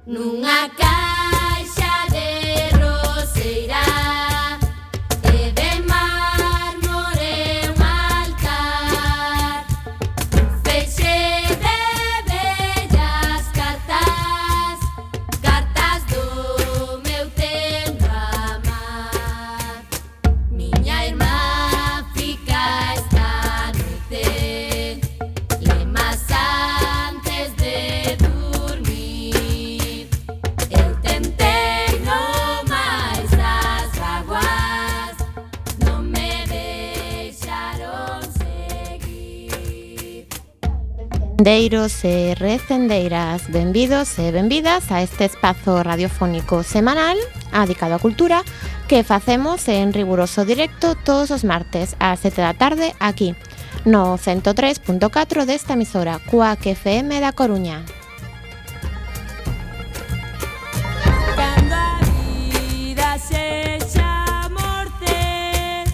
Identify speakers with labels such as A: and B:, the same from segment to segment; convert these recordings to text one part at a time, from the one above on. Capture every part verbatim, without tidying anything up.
A: nunha caixa de roseira e de mármore un altar, feixe de bellas cartas, cartas do meu tendo amar. Miña irmá fica esta noite lemas antes de dormir. Eu tentei no máis das vaguas, non me deixaron seguir.
B: Recendeiros e recendeiras, benvidos e benvidas a este espazo radiofónico semanal dedicado á cultura que facemos en riguroso directo todos os martes ás sete da tarde aquí no ciento tres punto catro desta emisora Cuac F M da Coruña.
C: Cando a vida sexa morte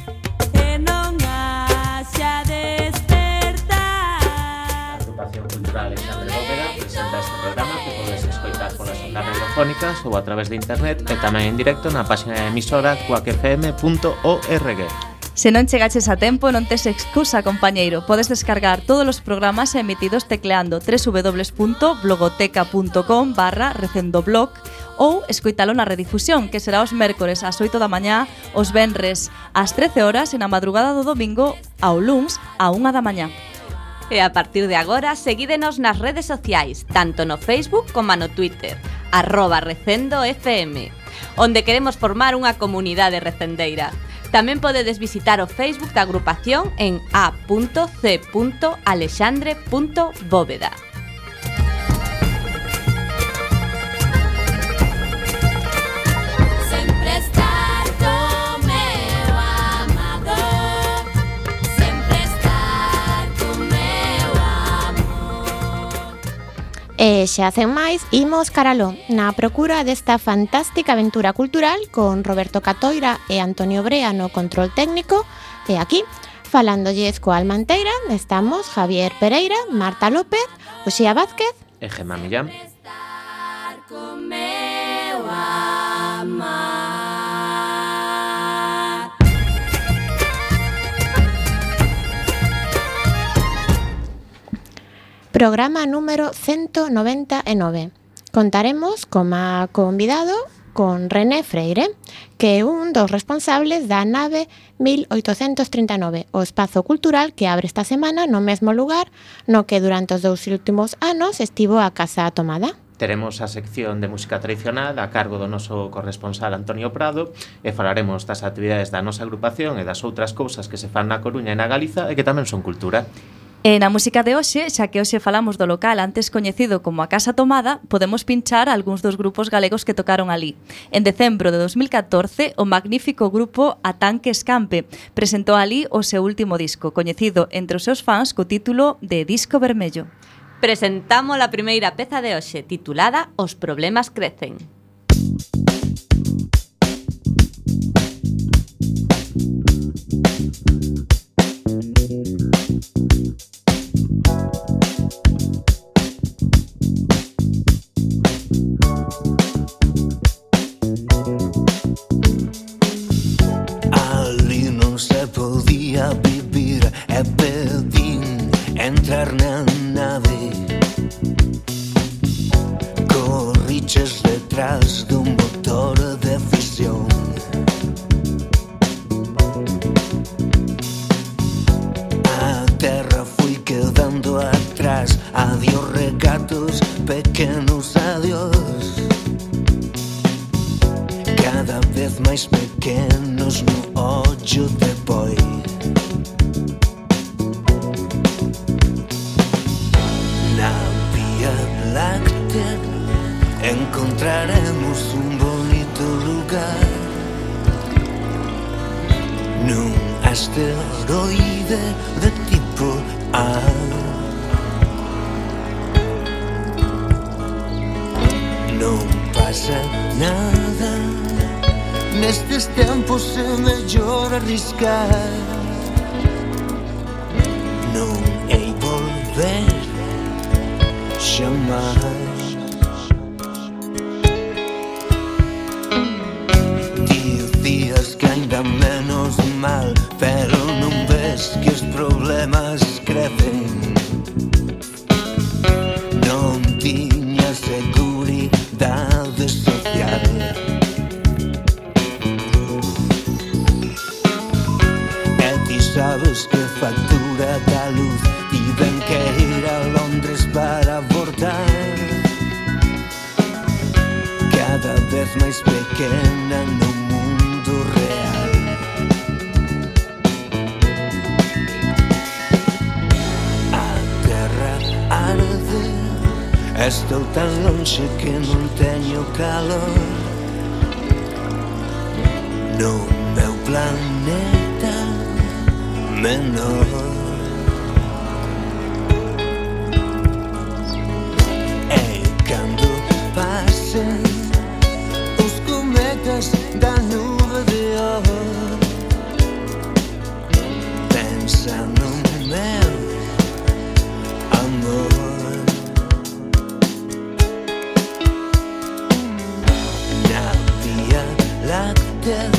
C: e non haxa despertar.
D: A Agrupación Cultural Alexandre Bóveda presenta este programa que podes escoitar polas ondas radiofónicas ou a través de internet e tamén en directo na página da emisora cuac f m punto org.
E: Se non chegaches a tempo, non tes excusa, compañeiro. Podes descargar todos os programas emitidos tecleando doble u doble u doble u punto blogoteca punto com barra recendoblog ou escoitalo na redifusión, que será os mércores ás oito da mañá, os venres ás trece horas e na madrugada do domingo ao luns á unha da mañá.
F: E a partir de agora, seguídenos nas redes sociais, tanto no Facebook como no Twitter, arroba Recendo F M, onde queremos formar unha comunidade recendeira. Tamén podedes visitar o Facebook da agrupación en a punto c punto alexandre punto bóveda.
A: Sempre estar co meu amado, sempre estar co meu amor.
B: E xa sen máis, imos caraló na procura desta fantástica aventura cultural con Roberto Catoira e Antonio Brea no control técnico. E aquí, falándolles coa Almanteira, estamos Javier Pereira, Marta López, Uxía Vázquez
D: E Gemma Millán.
A: Estar co meu amar.
B: Programa número ciento noventa e nove. Contaremos como convidado con René Freire, que é un dos responsables da nave mil oitocentos trinta e nove, o espazo cultural que abre esta semana no mesmo lugar no que durante os dous últimos anos estivo a Casa Tomada.
D: Teremos a sección de música tradicional a cargo do noso corresponsal Antonio Prado e falaremos das actividades da nosa agrupación e das outras cousas que se fan na Coruña e na Galiza e que tamén son cultura.
E: E na música de hoxe, xa que hoxe falamos do local antes coñecido como a Casa Tomada, podemos pinchar algúns dos grupos galegos que tocaron ali. En decembro de dos mil catorce, o magnífico grupo A Tanque Escampe presentou ali o seu último disco, coñecido entre os seus fans co título de Disco Vermello.
F: Presentamos a primeira peza de hoxe, titulada Os problemas crecen.
G: Ali non se podía vivir e pedín entrar na nave. Corriches detrás dun motor de fisión. A terra fui quedando atrás. Adiós regatos, pequenos adiós. Cada vez máis pequenos no ollo de boi. Na Vía Láctea encontraremos un bonito lugar, nun asteroide de tipo A. Non pasa nada, nestes tempos é mellor arriscar. Non hei volver xamais. mal, pero non ves que os problemas crecen. Non tiña seguridade social. E ti sabes que factura da luz tiven que ir a Londres para abortar. Cada vez máis pequena no mundo real. A terra arde, estou tan lonxe que non teño calor. No meu planeta menor. E cando pasen os cometas da nube de ouro, pensa no meu amor. Na Vía Láctea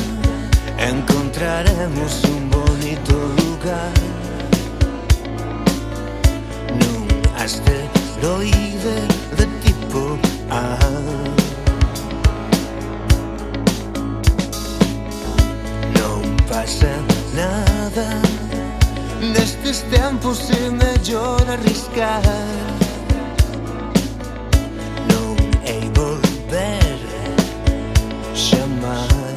G: encontraremos un bonito lugar, nun asteroide de tipo A. Non pasa nada, nestes tempos é mellor arriscar. Non hei volver xamais.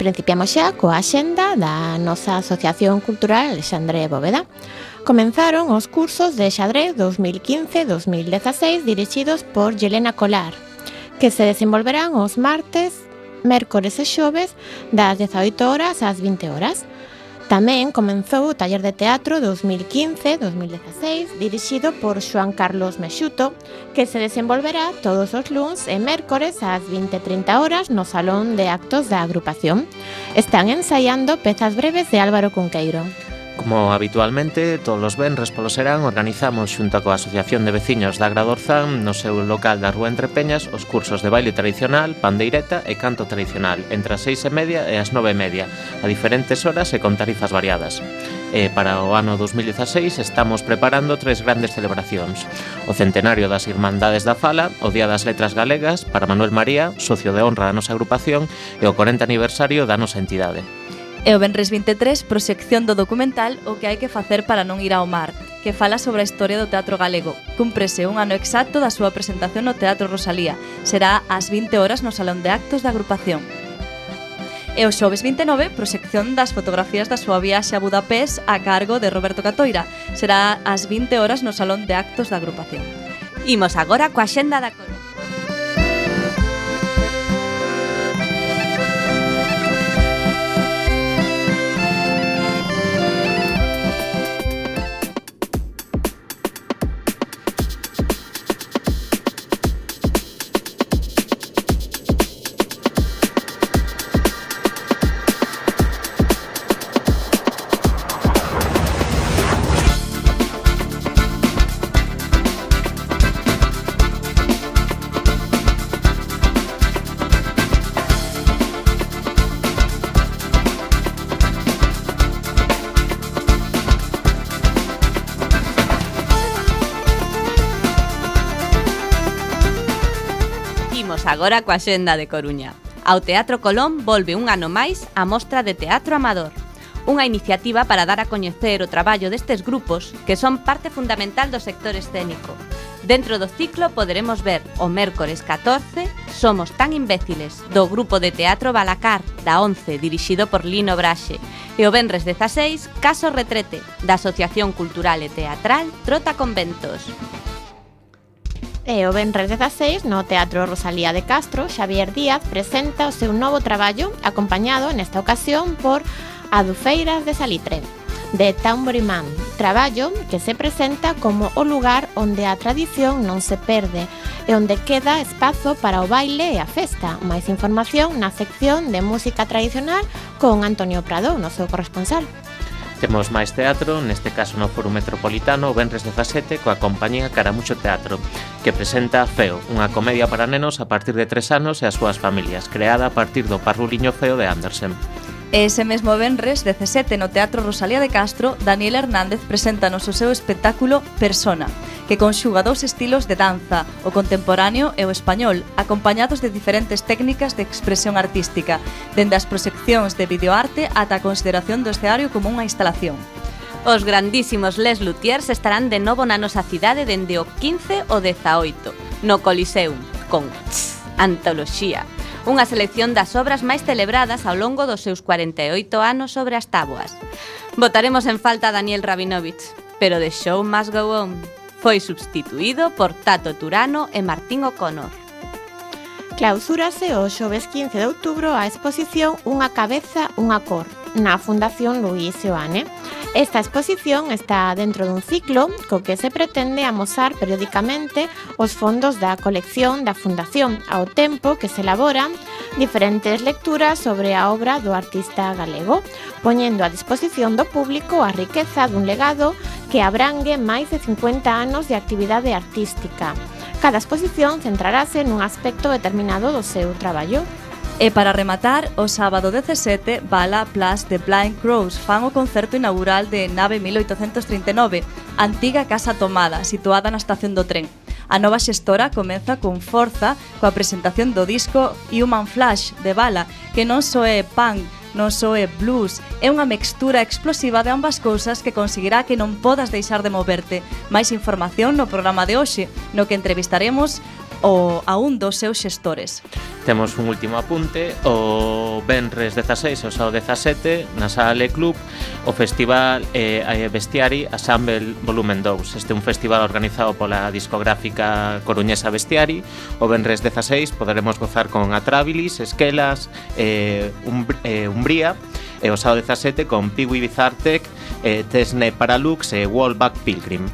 B: Principiamos xa coa axenda da nosa Asociación Cultural Alexandre Bóveda. Comenzaron os cursos de xadrez dos mil quince dos mil dezaseis dirixidos por Yelena Colar, que se desenvolverán os martes, mércores e xoves das dezaoito horas ás vinte horas. Tamén comenzou o taller de teatro dos mil quince dos mil dezaseis dirixido por Xoán Carlos Mexuto, que se desenvolverá todos os luns e mércores ás vinte e trinta horas no Salón de Actos da agrupación. Están ensaiando pezas breves de Álvaro Cunqueiro.
D: Como habitualmente, todos os venres polo serán organizamos xunto coa Asociación de Veciños da Agradorzán no seu local da Rúa Entre Peñas os cursos de baile tradicional, pandeireta e canto tradicional entre as seis e media e as nove e media, a diferentes horas e con tarifas variadas. E para o ano dos mil dezaseis estamos preparando tres grandes celebracións: o centenario das Irmandades da Fala, o Día das Letras Galegas para Manuel María, socio de honra da nosa agrupación, e o corenta aniversario da nosa entidade.
E: E o venres vinte e tres, proxección do documental O que hai que facer para non ir ao mar, que fala sobre a historia do teatro galego. Cúmprese un ano exacto da súa presentación no Teatro Rosalía. Será ás vinte horas no Salón de Actos da agrupación. E o xoves vinte e nove, proxección das fotografías da súa viaxe a Budapest a cargo de Roberto Catoira. Será ás vinte horas no Salón de Actos da agrupación.
F: Imos agora coa xenda da Coruña. agora coa xenda de Coruña. Ao Teatro Colón volve un ano máis a Mostra de Teatro Amador, unha iniciativa para dar a coñecer o traballo destes grupos que son parte fundamental do sector escénico. Dentro do ciclo poderemos ver o mércores catorce Somos tan imbéciles, do grupo de teatro Balacar, da once, dirixido por Lino Braxe, e o venres dezaseis Caso Retrete, da Asociación Cultural e Teatral Trota Conventos.
B: E o venres dezaseis, no Teatro Rosalía de Castro, Xavier Díaz presenta o seu novo traballo, acompañado nesta ocasión por Adufeiras de Salitre, de Tambourine Man, traballo que se presenta como o lugar onde a tradición non se perde e onde queda espazo para o baile e a festa. Máis información na sección de música tradicional con Antonio Prado, o noso corresponsal.
D: Temos máis teatro, neste caso no Foro Metropolitano, o venres dezasete, coa compañía Caramucho Teatro, que presenta Feo, unha comedia para nenos a partir de tres anos e as súas familias, creada a partir do Parruliño Feo de Andersen.
E: E ese mesmo venres dezasete no Teatro Rosalía de Castro, Daniel Hernández presenta-nos o seu espectáculo Persona, que conxuga dous estilos de danza, o contemporáneo e o español, acompañados de diferentes técnicas de expresión artística, dende as proxeccións de videoarte ata a consideración do escenario como unha instalación.
F: Os grandísimos Les Luthiers estarán de novo na nosa cidade dende o quince ao dezaoito, no Coliseum, con tss, Antoloxía, unha selección das obras máis celebradas ao longo dos seus cuarenta e oito anos sobre as táboas. Botaremos en falta a Daniel Rabinovich, pero The Show Must Go On foi substituído por Tato Turano e Martín O'Connor.
B: Clausúrase o xoves quince de outubro a exposición Unha cabeza, unha cor, na Fundación Luís Seoane. Esta exposición está dentro dun ciclo co que se pretende amosar periódicamente os fondos da colección da Fundación, ao tempo que se elaboran diferentes lecturas sobre a obra do artista galego, poñendo a disposición do público a riqueza dun legado que abrangue máis de cincuenta anos de actividade artística. Cada exposición centrarase nun aspecto determinado do seu traballo.
E: E para rematar, o sábado dezasete, Bala Plus de Blind Crows fan o concerto inaugural de Nave mil oitocentos trinta e nove, antiga Casa Tomada, situada na estación do tren. A nova xestora comeza con forza coa presentación do disco Human Flash de Bala, que non só é punk, non só é blues, é unha mixtura explosiva de ambas cousas que conseguirá que non podas deixar de moverte. Máis información no programa de hoxe, no que entrevistaremos o, a un dos seus xestores.
D: Temos un último apunte, o venres dezaseis e o sábado dezasete na Sala Le Club o Festival eh, Bestiari Assemble Volumen dous. Este é un festival organizado pola discográfica coruñesa Bestiari. O venres dezaseis poderemos gozar con Atrabilis, Esquelas, eh, Umbr eh, Umbría, e o sábado dezasete con Piwi Bizartec, eh, Tesne Paralux e Wallback Pilgrim.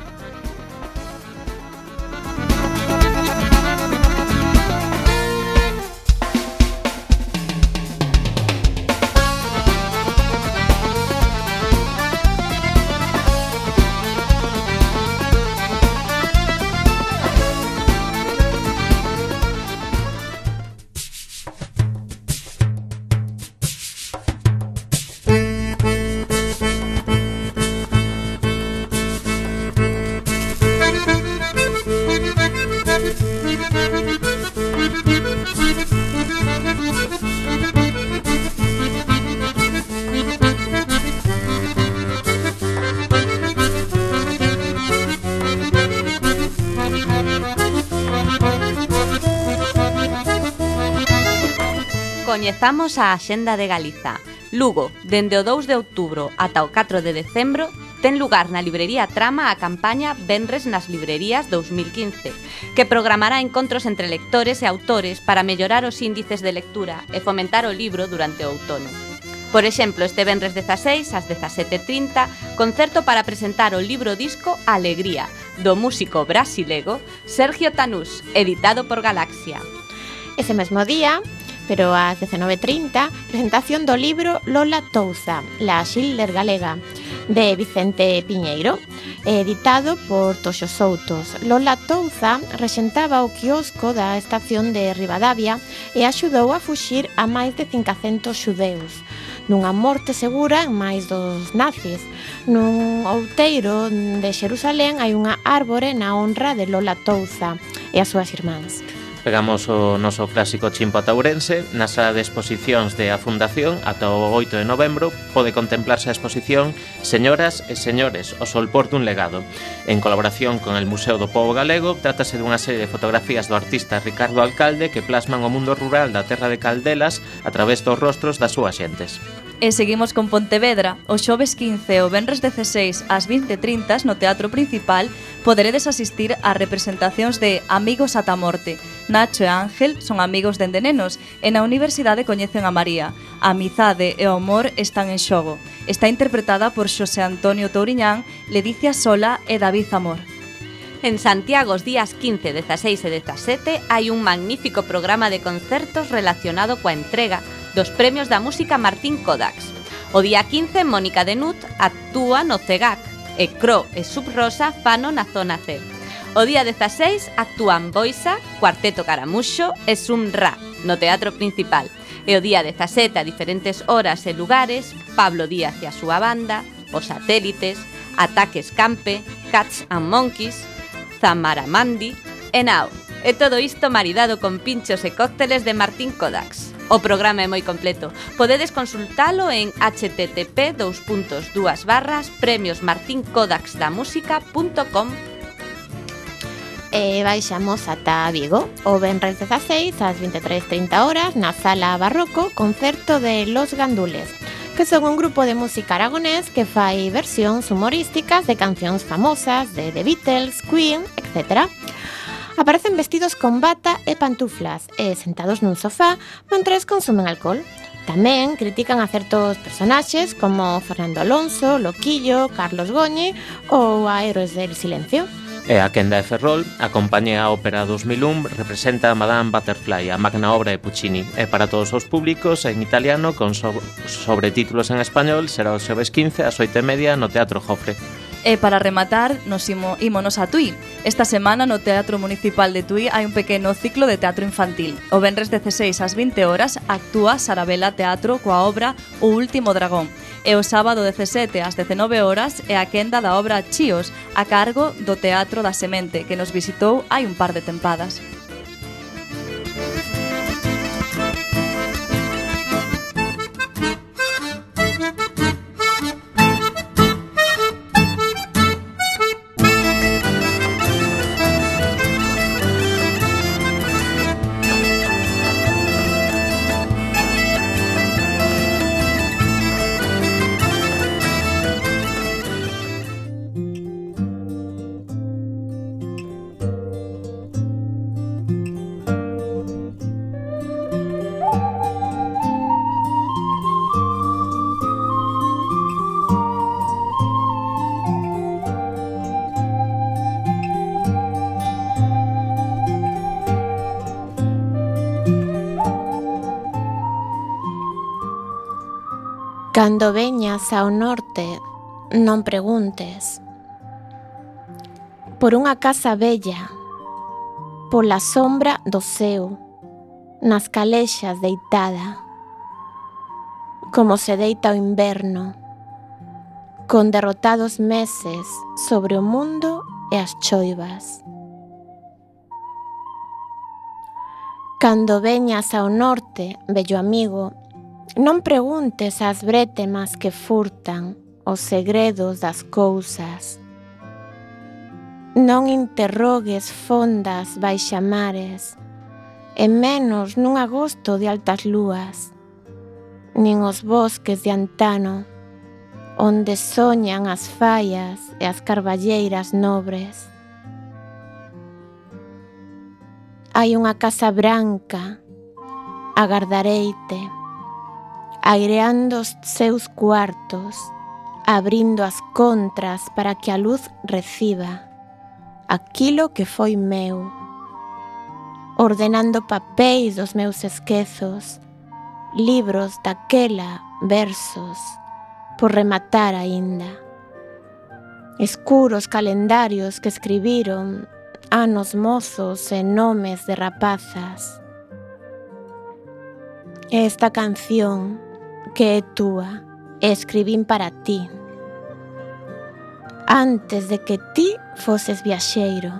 F: Coñezamos a Axenda de Galiza. Lugo, dende o dous de outubro ata o catro de decembro, ten lugar na librería Trama a campaña Venres nas librerías dous mil quince, que programará encontros entre lectores e autores para mellorar os índices de lectura e fomentar o libro durante o outono. Por exemplo, este venres dezaseis, ás dezasete e trinta, concerto para presentar o libro disco Alegría, do músico brasilego Sergio Tanús, editado por Galaxia.
B: Ese mesmo día, pero ás dezenove e trinta, presentación do libro Lola Touza, la Schiller galega, de Vicente Piñeiro, editado por Toxo Soutos. Lola Touza rexentaba o quiosco da estación de Ribadavia e axudou a fuxir a máis de cincocentos xudeus, nunha morte segura en máis dos nazis. Nun outeiro de Xerusalén hai unha árbore na honra de Lola Touza e as súas irmáns.
D: Pegamos o noso clásico chimpo ata Ourense. Na sala de exposicións de A Fundación, ata o oito de novembro, pode contemplarse a exposición Señoras e Señores, o solpor dun legado. En colaboración con el Museo do Pobo Galego, trátase dunha serie de fotografías do artista Ricardo Alcalde que plasman o mundo rural da terra de Caldelas a través dos rostros das súas xentes.
E: E seguimos con Pontevedra. O xoves quince e o venres dezaseis ás vinte e trinta no Teatro Principal poderedes asistir ás representacións de Amigos ata a morte. Nacho e Ángel son amigos dende nenos e na universidade coñecen a María. A amizade e o amor están en xogo. Está interpretada por Xosé Antonio Touriñán, Ledicia Sola e David Zamor.
F: En Santiago, os días quince, dezaseis e dezasete, hai un magnífico programa de concertos relacionado coa entrega dos premios da música Martín Kodax. O día quince, Mónica Denut actúa no CEGAC e Cro e Subrosa fano na zona C. O día dezaseis actúan Boisa, Cuarteto Caramuxo e Sumra no Teatro Principal. E o día dezasete, a diferentes horas e lugares, Pablo Díaz e a súa banda, Os Satélites, Ataques Campe, Cats and Monkeys, Zamaramandi e Nao. E todo isto maridado con pinchos e cócteles de Martín Kodax. O programa é moi completo. Podedes consultalo en h t t p dos puntos dúas barras premios martín kodax da música punto com.
B: E baixamos ata Vigo. O venres dezaseis ás vinte e tres trinta horas na Sala Barroco, concerto de Los Gandules, que son un grupo de música aragonés que fai versións humorísticas de cancións famosas de The Beatles, Queen, etcétera. Aparecen vestidos con bata e pantuflas e sentados nun sofá mentres consumen alcohol. Tamén critican a certos personaxes como Fernando Alonso, Loquillo, Carlos Goñi ou a Héroes del Silencio.
D: E a quenda de Ferrol, a compañía Ópera dos mil un representa a Madame Butterfly, a magna obra de Puccini. E para todos os públicos, en italiano, con so- sobretítulos en español, será o xoves quince ás oito e media no Teatro Jofre.
E: E para rematar, nos imo, ímonos a Tui. Esta semana no Teatro Municipal de Tui hai un pequeno ciclo de teatro infantil. O venres dezaseis ás vinte horas actúa Sarabela Teatro coa obra O Último Dragón. E o sábado dezasete ás dezenove horas é a quenda da obra Chíos, a cargo do Teatro da Semente, que nos visitou hai un par de tempadas.
B: Cando veñas ao norte, non preguntes. Por unha casa bella, pola sombra do ceo, nas calexas deitada, como se deita o inverno, con derrotados meses sobre o mundo e as choivas. Cando veñas ao norte, vello amigo, non preguntes ás brétemas que furtan os segredos das cousas. Non interrogues fondas baixamares, e menos nun agosto de altas lúas, nin os bosques de antano, onde soñan as fallas e as carballeiras nobres. Hai unha casa branca, agardareite, aireando os seus cuartos, abrindo as contras para que a luz reciba aquilo que foi meu, ordenando papéis dos meus esquezos, libros daquela, versos, por rematar aínda, escuros calendarios que escribiron anos mozos e nomes de rapazas. Esta canción que é túa e escribín para ti, antes de que ti foses viaxeiro,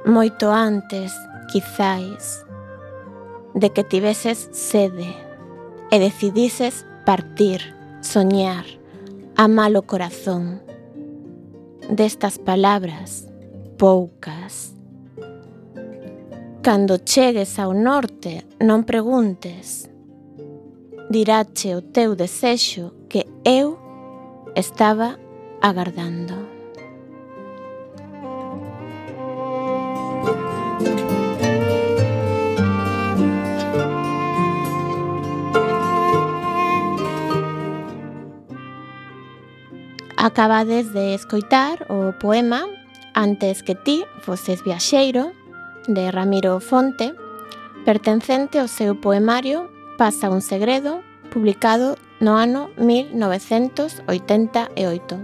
B: moito antes quizais, de que tiveses sede e decidises partir, soñar, amar o corazón. Destas palabras, poucas. Cando chegues ao norte, non preguntes. Dirache o teu desexo que eu estaba agardando. Acabades de escoitar o poema Antes que ti foses viaxeiro, de Ramiro Fonte, pertencente ao seu poemario Pasa un segredo, publicado no ano mil novecentos oitenta e oito.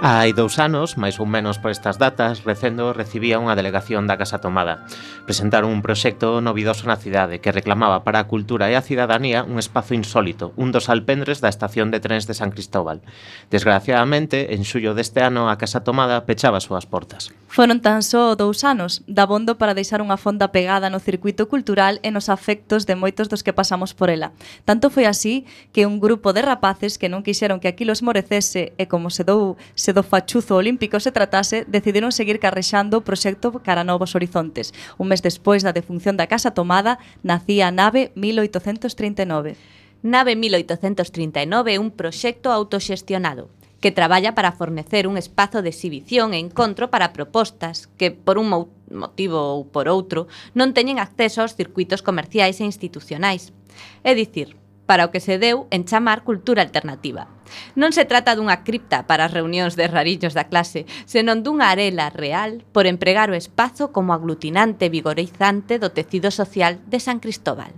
D: Hai dous anos, máis ou menos por estas datas, Recendo recibía unha delegación da Casa Tomada. Presentaron un proxecto novidoso na cidade que reclamaba para a cultura e a cidadanía un espazo insólito, un dos alpendres da estación de trens de San Cristóbal. Desgraciadamente, en xullo deste ano, a Casa Tomada pechaba as súas portas.
E: Foron tan só dous anos, dabondo para deixar unha fonda pegada no circuito cultural e nos afectos de moitos dos que pasamos por ela. Tanto foi así que un grupo de rapaces que non quixeron que aquilo esmorecese e como se dou se do fachuzo olímpico se tratase, decidiron seguir carrexando o proxecto cara a novos horizontes. Un mes despois da defunción da Casa Tomada, nacía a Nave mil oitocentos trinta e nove.
F: Nave mil oitocentos trinta e nove é un proxecto autoxestionado que traballa para fornecer un espazo de exhibición e encontro para propostas que, por un motivo ou por outro, non teñen acceso aos circuitos comerciais e institucionais. É dicir, para o que se deu en chamar cultura alternativa. Non se trata dunha cripta para as reunións de rarillos da clase, senón dunha arela real por empregar o espazo como aglutinante vigorizante do tecido social de San Cristóbal.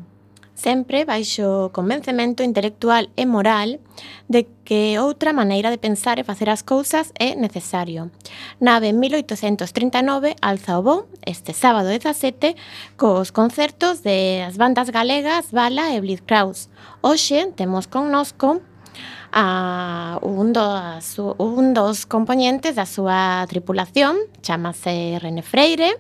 B: Sempre baixo o convencemento intelectual e moral de que outra maneira de pensar e facer as cousas é necesario. Nave mil oitocentos trinta e nove alza o voo este sábado dezasete cos concertos de as bandas galegas Bala e Blitzkraus. Hoxe temos connosco a un dos, un dos componentes da súa tripulación, chamase René Freire,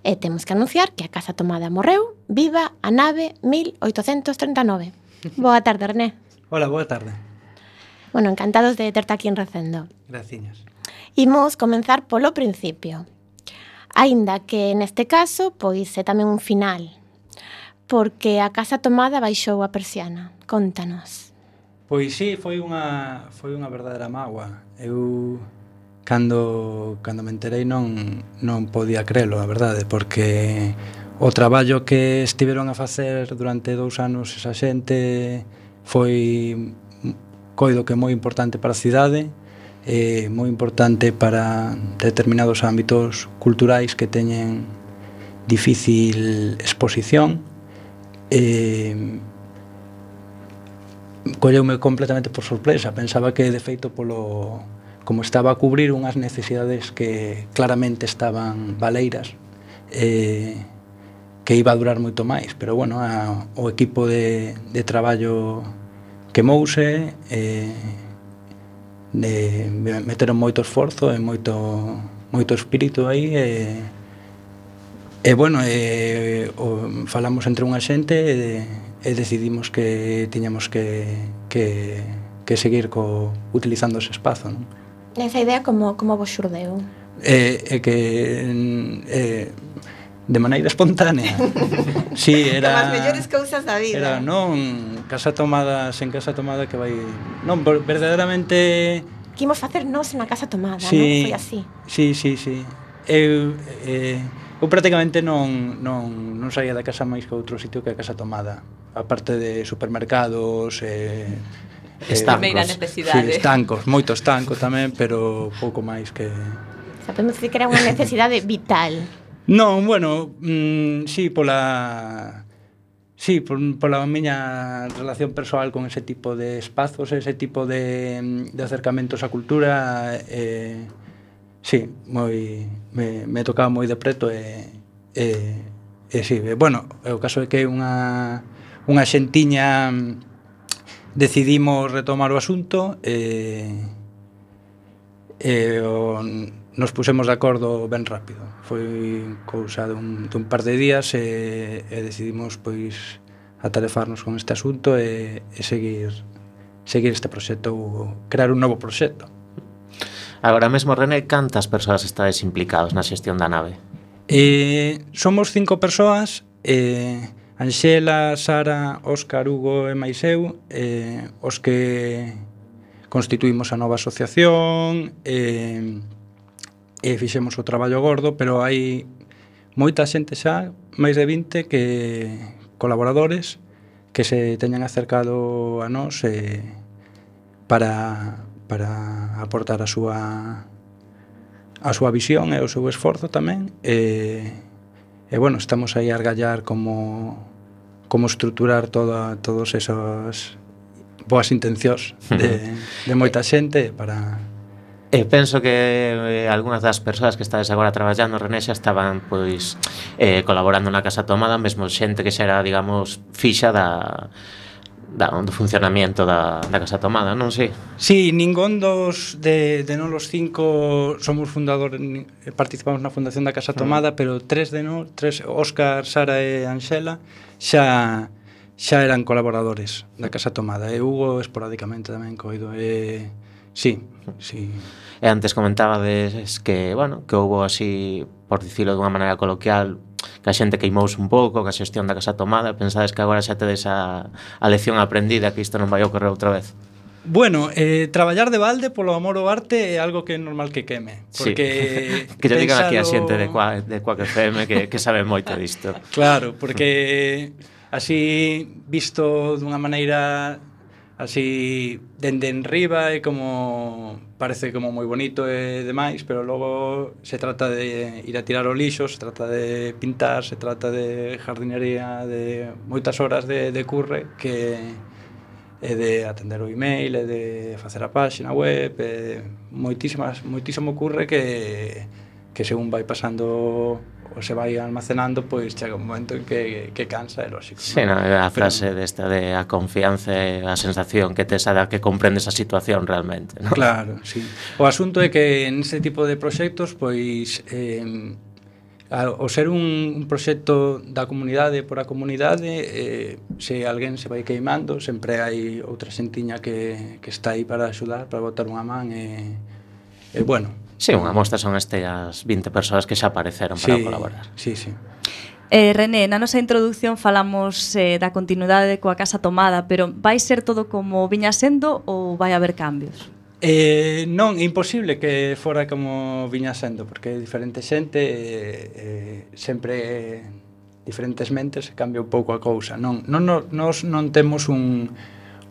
B: e temos que anunciar que a Casa Tomada morreu. Viva a Nave mil oitocentos trinta e nove. Boa tarde, René.
H: Hola, boa tarde.
B: Bueno, encantados de terte aquí en Recendo.
H: Graciñas.
B: Imos comenzar polo principio. Aínda que neste caso, pois é tamén un final, porque a Casa Tomada baixou a persiana. Contanos.
H: Pois sí, foi unha foi unha verdadeira mágoa. Eu cando cando me enterei non non podía crelo, a verdade, porque o traballo que estiveron a facer durante dous anos esa xente foi coido que moi importante para a cidade, e moi importante para determinados ámbitos culturais que teñen difícil exposición. E colleume completamente por sorpresa. Pensaba que, de feito, polo como estaba a cubrir unhas necesidades que claramente estaban baleiras, eh, que iba a durar moito máis, pero bueno, a, o equipo de, de traballo quemouse, eh, de, meteron moito esforzo e moito, moito espírito aí, e, e bueno, e, o, falamos entre unha xente e, e decidimos que tiñamos que, que, que seguir co, utilizando ese espazo, non?
B: Esa idea como, como vos xurdeu?
H: É, é que é, de maneira espontánea. Sí, era
B: como as mellores cousas da vida.
H: Era, non, Casa Tomada, sen Casa Tomada que vai... Non, verdadeiramente...
B: Que imos facer nós na Casa Tomada,
H: sí,
B: non? Foi así.
H: Sí, sí, sí. Eu... Eh, eu prácticamente non, non, non saía da casa máis que outro sitio que a Casa Tomada, aparte de supermercados e eh,
D: Estancos.
F: Primeira necesidade.
H: Sí, estancos, moito estanco tamén, pero pouco máis que...
B: Sabemos dicir que era unha necesidade vital.
H: Non, bueno, mm, sí, pola... Sí, por, pola miña relación persoal con ese tipo de espazos, ese tipo de, de acercamentos á cultura, eh, sí, moi, me, me tocaba moi de preto e, e, e sí, e, bueno, o caso é que unha, unha xentiña decidimos retomar o asunto e, e o, nos pusemos de acordo ben rápido. Foi cousa dun, dun par de días e, e decidimos pois atarefarnos con este asunto e, e seguir seguir este proxecto ou crear un novo proxecto.
D: Agora mesmo, René, cantas persoas estades implicados na xestión da nave?
H: Eh, somos cinco persoas, eh, Anxela, Sara, Óscar, Hugo e máis eu, eh, os que constituímos a nova asociación e, e fixemos o traballo gordo, pero hai moita xente xa, máis de vinte que colaboradores que se teñan acercado a nós e, para, para aportar a súa a súa visión e o seu esforzo tamén e, e bueno, estamos aí a argallar como como estruturar toda, todos esas boas intencións de, de moita xente para...
D: E penso que eh, algunhas das persoas que estades agora traballando, René, xa estaban pois eh, colaborando na Casa Tomada, mesmo xente que xa era, digamos, fixa da, da, do funcionamiento da, da Casa Tomada, non sei?
H: Sí, ningún dos de, de non los cinco somos fundadores, participamos na fundación da Casa Tomada, mm. pero tres de nós, tres, Óscar, Sara e Anxela, xa xa eran colaboradores da Casa Tomada, e Hugo esporádicamente tamén coido, e sí, sí.
D: E antes comentabades que, bueno, que houbo así, por dicilo dunha maneira coloquial, que a xente queimouse un pouco, que a xestión da Casa Tomada, pensades que agora xa tedes a, a lección aprendida, que isto non vai ocorrer outra vez?
H: Bueno, eh, traballar de balde polo amor ao arte é algo que é normal que queme, porque
D: sí. Que te digan aquí a
H: pensalo...
D: xente de Quack, de Quack F M que, que sabe moito disto.
H: Claro, porque así visto dunha maneira así dende enriba é como parece como moi bonito e demais, pero logo se trata de ir a tirar o lixo, se trata de pintar, se trata de jardinería, de moitas horas de, de curre que é de atender o email, é de facer a páxina web, é moitísimas, moitísimo curre que, que según vai pasando ou se vai almacenando, pois chega un momento en que, que cansa, é lógico.
D: Sí, no, a frase pero... desta de a confianza e a sensación que tes a da que comprendes a situación realmente, ¿no?
H: Claro, sí. O asunto é que en ese tipo de proxectos, pois, eh, ao ser un, un proxecto da comunidade por a comunidade, eh, se alguén se vai queimando, sempre hai outra xentiña que, que está aí para axudar, para botar unha man, e, e bueno.
D: Sí, unha mostra son estas vinte persoas que xa apareceron para
H: sí,
D: colaborar.
H: Sí, sí.
E: Eh, René, na nosa introducción falamos eh, da continuidade coa Casa Tomada, pero vai ser todo como viña sendo ou vai haber cambios?
H: Eh, non, é imposible que fora como viña sendo, porque diferente xente eh, eh, sempre diferentes mentes cambia un pouco a cousa. Non, non, nos non temos un,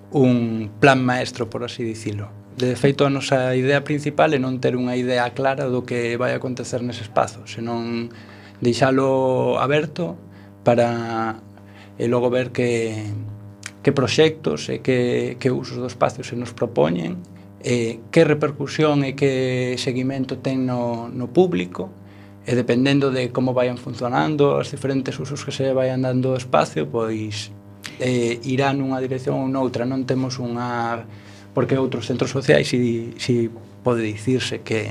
H: un plan maestro, por así dicilo. De feito, a nosa idea principal é non ter unha idea clara do que vai acontecer nese espazo, senón deixalo aberto para e logo ver que, que proxectos e que, que usos do espacio se nos propoñen, e que repercusión e que seguimento ten no, no público, e dependendo de como vayan funcionando os diferentes usos que se vayan dando ao espacio, pois eh, irá nunha dirección ou noutra. Non temos unha... porque outros centros sociais si, si pode dicirse que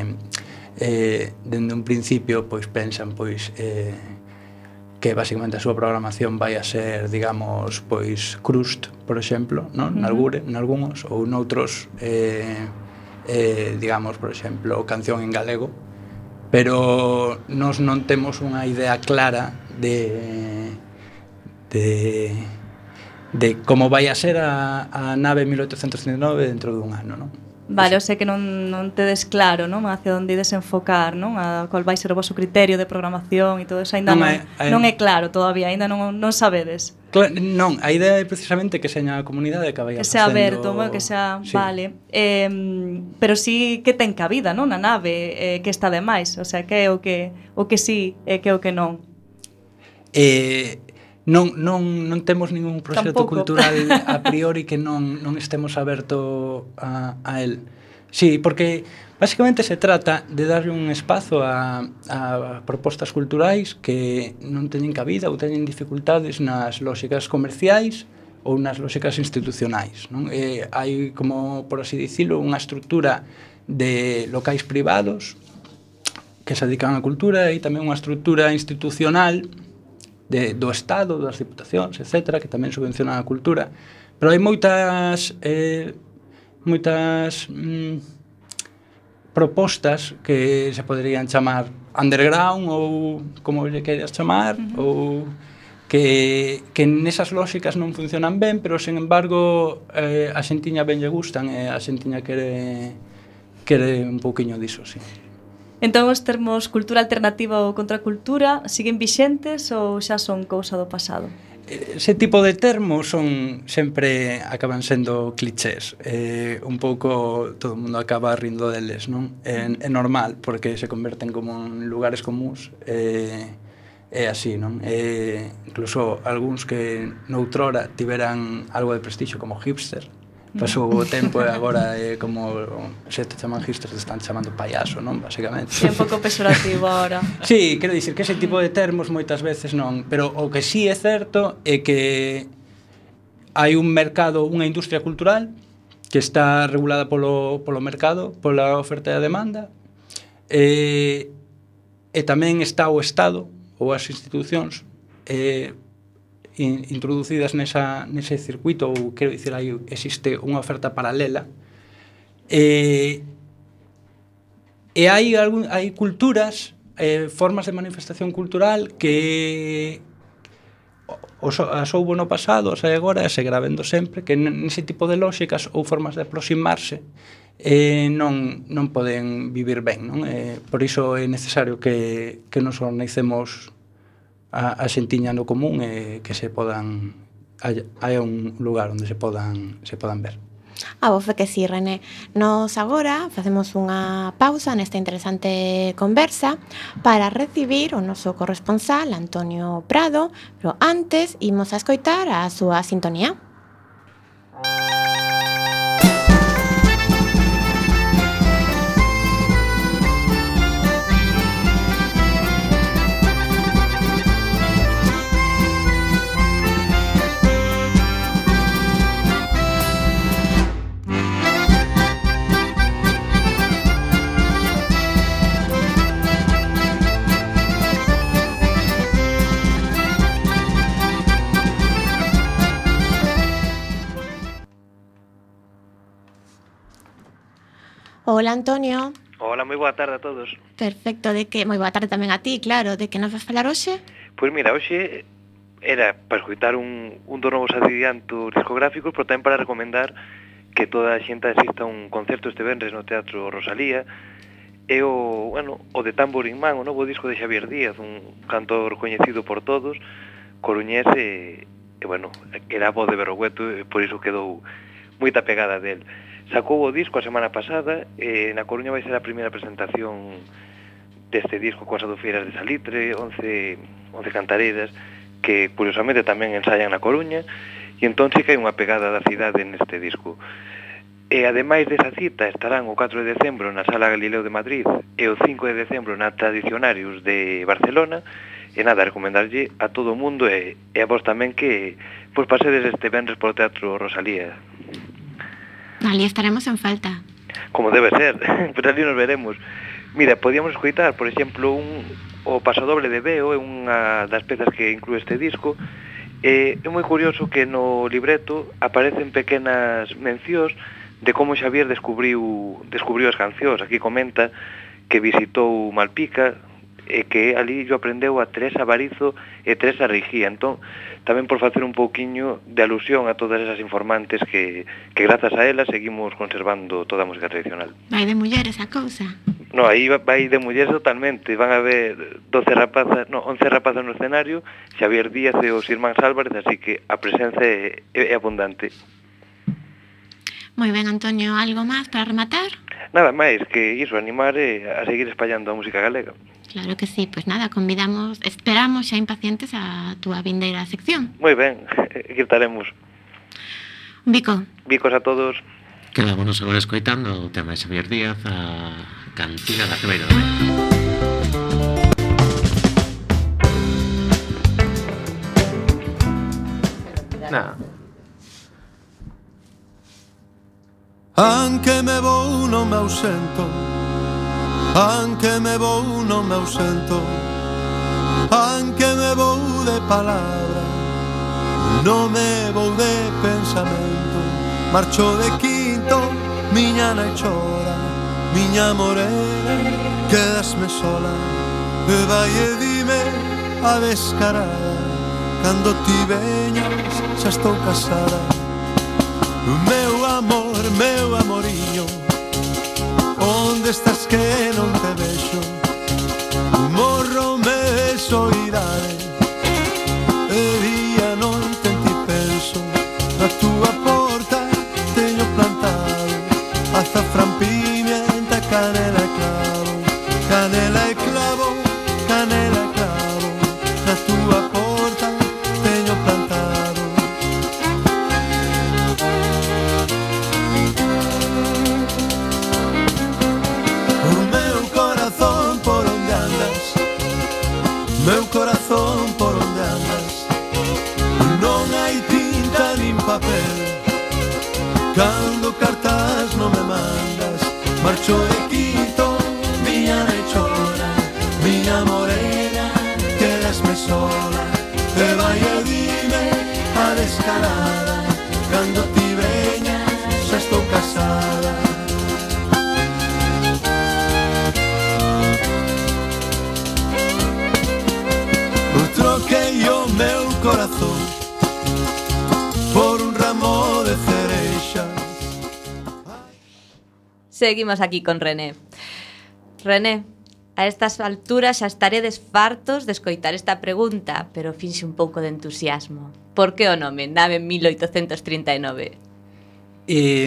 H: eh, dende un principio pois pensan pois eh, que basicamente a súa programación vai a ser, digamos, pois crust, por exemplo, non? Uh-huh. Nalgure, nalgúns, ou noutros eh, eh, digamos, por exemplo, canción en galego, pero nós non temos unha idea clara de de de como vai a ser a, a nave mil oitocentos trinta e nove dentro dun ano, non?
E: Vale, o sea que non, non tedes claro, non? Hacia onde ides enfocar, non? A qual vai ser o voso criterio de programación e todo eso, ainda non,
H: Non
E: non,
H: é-
E: é, non é claro todavía, ainda non, non sabedes.
H: Claro, non, a idea é precisamente que seña a comunidade que vaya
E: Que sea
H: facendo...
E: aberto, bueno, que sea,
H: Sí.
E: vale. Eh, pero sí que ten cabida, non? Na nave, eh, que está de máis, o sea, que é o que o que sí e que é o que non.
H: Eh, non, non, non temos ningún proxecto
E: Tampouco.
H: cultural a priori que non, non estemos aberto a, a él. Sí, porque basicamente se trata de darlle un espazo a, a propostas culturais que non teñen cabida ou teñen dificultades nas lóxicas comerciais ou nas lóxicas institucionais, non? Eh, hai, como por así dicilo, unha estructura de locais privados que se dedican á cultura e tamén unha estructura institucional de, do Estado, das diputacións, etcétera, que tamén subvencionan a cultura. Pero hai moitas eh, moitas mm, propostas que se poderían chamar underground ou como lle queiras chamar, uh-huh. ou que, que nesas lóxicas non funcionan ben, pero, sen embargo, eh, a xentiña ben lle gustan e a xentiña quere, quere un pouquiño diso, sí.
E: Entón, os termos cultura alternativa ou contracultura siguen vixentes ou xa son cousa do pasado?
H: Ese tipo de termos son sempre acaban sendo clichés. Eh, un pouco todo o mundo acaba rindo deles, non? É, é normal, porque se converten como en lugares comuns. Eh, é así, non? Eh, incluso algúns que noutrora tiveran algo de prestixio como hipster, pasou o tempo e agora é como se te chaman hipsters te están chamando payaso, non? Basicamente.
E: É un pouco pesorativo agora.
H: Sí, quero dicir que ese tipo de termos moitas veces non, pero o que sí é certo é que hai un mercado, unha industria cultural que está regulada polo, polo mercado, pola oferta e a demanda, e, e tamén está o Estado ou as institucións eh, introducidas nesa, nese circuito, ou quero dicir, aí existe unha oferta paralela, e, e hai, algún, hai culturas, eh, formas de manifestación cultural que os, as houbo no pasado, as hai agora, e seguirá vendo sempre, que nese tipo de lóxicas ou formas de aproximarse eh, non, non poden vivir ben, non? Eh, por iso é necesario que, que nos organicemos a, a xentiña no común e que se podan hai, hai un lugar onde se podan se podan ver.
B: A vos fe que sí, René. Nos agora facemos unha pausa nesta interesante conversa para recibir o noso corresponsal Antonio Prado, pero antes imos a escoitar a súa sintonía. Hola, Antonio.
I: Hola, moi boa tarde a todos.
B: Perfecto, de que moi boa tarde tamén a ti, claro, de que nos vas falar hoxe?
I: Pois mira, hoxe era para escoitar un, un dos novos adiantos discográficos, pero tamén para recomendar que toda a xente asista a un concerto este venres no Teatro Rosalía, e o, bueno, o de Tamborín Man, o novo disco de Xavier Díaz, un cantor coñecido por todos, coruñés, e, e bueno, era a voz de Berrogueto, e por iso quedou moita pegada del. Sacou o disco a semana pasada, e na Coruña vai ser a primeira presentación deste disco coas adofeiras de Salitre, once, once cantareiras, que curiosamente tamén ensayan na Coruña, e entón sí que hai unha pegada da cidade neste disco. E ademais desa cita estarán o catro de decembro na Sala Galileo de Madrid e o cinco de decembro na Tradicionarius de Barcelona, e nada, recomendarlle a todo o mundo e, e a vos tamén que pois pasedes este venres polo Teatro Rosalía.
B: Ali estaremos en falta.
I: Como debe ser, pero ali nos veremos. Mira, podíamos escoitar, por exemplo, un, o Pasodoble de Beo, é unha das pezas que inclúe este disco, e é moi curioso que no libreto aparecen pequenas mencións de como Xavier descubriu, descubriu as cancións. Aquí comenta que visitou Malpica e que ali yo aprendeu a Teresa Barizo e Teresa Rigía. Entón, tamén por facer un pouquiño de alusión a todas esas informantes que, que grazas a elas seguimos conservando toda a música tradicional.
B: Vai de mulleres a cousa.
I: No, aí vai de mulleres totalmente. Van a haber doce rapazas, no, once rapazas no escenario, Xavier Díaz e os irmáns Álvarez, así que a presenza é, é abundante.
B: Moi ben, Antonio, algo máis para rematar?
I: Nada máis que iso, animar e a seguir espallando a música galega.
B: Claro que sí, pois pues nada, convidamos, esperamos xa impacientes a túa vindeira sección.
I: Moi ben, aquí estaremos.
B: Un bico.
I: Bicos a todos.
D: Quedámonos agora escoitando o tema de Xavier Díaz, a cantiga da Ribeira do Medio. Nada.
J: Anche me vou non me ausento, anche me vou non me ausento, anche me vou de palabra, non me vou de pensamento. Marcho de quinto, miña nai chora, miña morena, quedasme sola. E vai e dime a descarada, cando ti veñas xa estou casada. Meu amor, meu amoriño, onde estás que non te vexo? Morro me de soidade, e día non te ti penso. Na túa porta teño plantado azafrán, pimienta, canela e clavo, canela e clavo, canela e clavo. Na túa porta teño plantado. O meu corazón por onde andas, meu corazón por onde andas, non hai tinta nin papel, cando cartas non me mandas. Marcho de quinto, miña nai chora, miña morena, quedasme sola. E vai e dime a descarada, cando ti veñas xa estou casada. Troquei o meu corazón por un ramo de cereixas.
F: Seguimos aquí con René. René, a estas alturas xa estaredes fartos de escoitar esta pregunta, pero finxe un pouco de entusiasmo. Por que o nome Nave mil oitocentos trinta e nove?
H: Eh,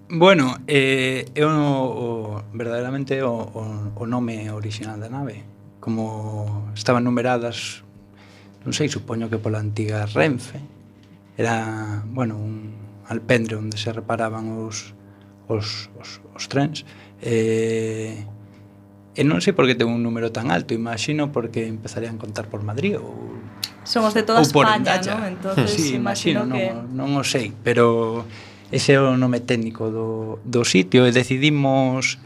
H: bueno, eh, é o, o, verdadeiramente o, o, o nome original da nave. Como estaban numeradas, non sei, supoño que pola antiga Renfe, era, bueno, un alpendre onde se reparaban os, os, os, os trens, e, e non sei por que ten un número tan alto, imagino porque empezarían a contar por Madrid ou
E: Somos de toda
H: ou por
E: España,
H: Endaya.
E: ¿no? Entonces,
H: sí, imagino,
E: que...
H: non, non o sei, pero ese é o nome técnico do, do sitio e decidimos